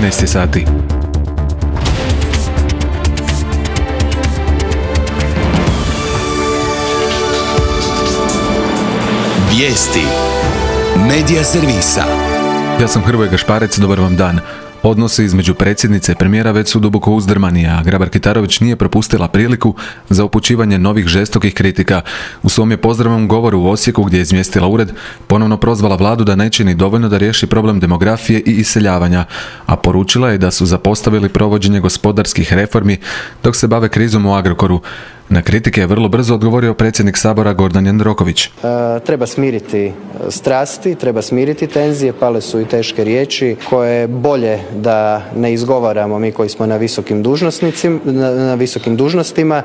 13 sati. Vijesti Medija servisa. Ja sam Hrvoje Gašparec, dobar vam dan. Odnosi između predsjednice i premijera već su duboko uzdrmani, a Grabar-Kitarović nije propustila priliku za upućivanje novih žestokih kritika. U svom je pozdravnom govoru u Osijeku, gdje je izmjestila ured, ponovno prozvala vladu da ne čini dovoljno da riješi problem demografije i iseljavanja, a poručila je da su zapostavili provođenje gospodarskih reformi dok se bave krizom u Agrokoru. Na kritike je vrlo brzo odgovorio predsjednik Sabora Gordan Jandroković. Treba smiriti strasti, treba smiriti tenzije, pale su i teške riječi koje je bolje da ne izgovaramo mi koji smo na visokim dužnostima.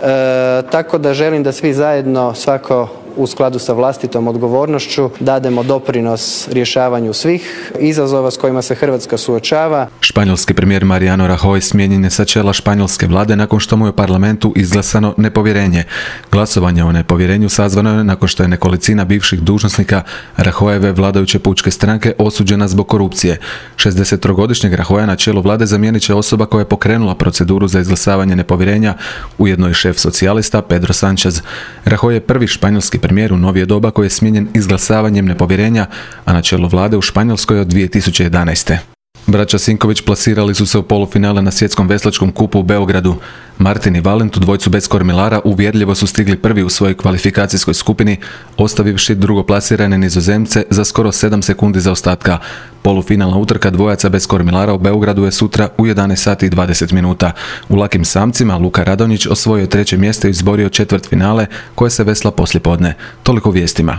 Tako da želim da svi zajedno, svako u skladu sa vlastitom odgovornošću, dademo doprinos rješavanju svih izazova s kojima se Hrvatska suočava. Španjolski premijer Mariano Rajoy smijenjen je sa čela španjolske vlade nakon što mu je u parlamentu izglasano nepovjerenje. Glasovanje o nepovjerenju sazvano je nakon što je nekolicina bivših dužnosnika Rajoyeve vladajuće pučke stranke osuđena zbog korupcije. 63-godišnjeg Rajoya na čelu vlade zamijenit će osoba koja je pokrenula proceduru za izglasavanje nepovjerenja, ujedno i šef socijalista Pedro Sánchez. Rajoy je prvi španjolski premijer u novije doba koji je smijenjen izglasavanjem nepovjerenja, a na čelu vlade u Španjolskoj od 2011. Braća Sinković plasirali su se u polufinale na svjetskom veslačkom kupu u Beogradu. Martin i Valent, u dvojcu bez kormilara, uvjerljivo su stigli prvi u svojoj kvalifikacijskoj skupini, ostavivši drugoplasirane Nizozemce za skoro 7 sekundi zaostatka. Polufinalna utrka dvojaca bez kormilara u Beogradu je sutra u 11 sati i 20 minuta. U lakim samcima Luka Radonjić osvojio 3. mjesto i izborio četvrtfinale koje se vesla poslijepodne. Toliko vijestima.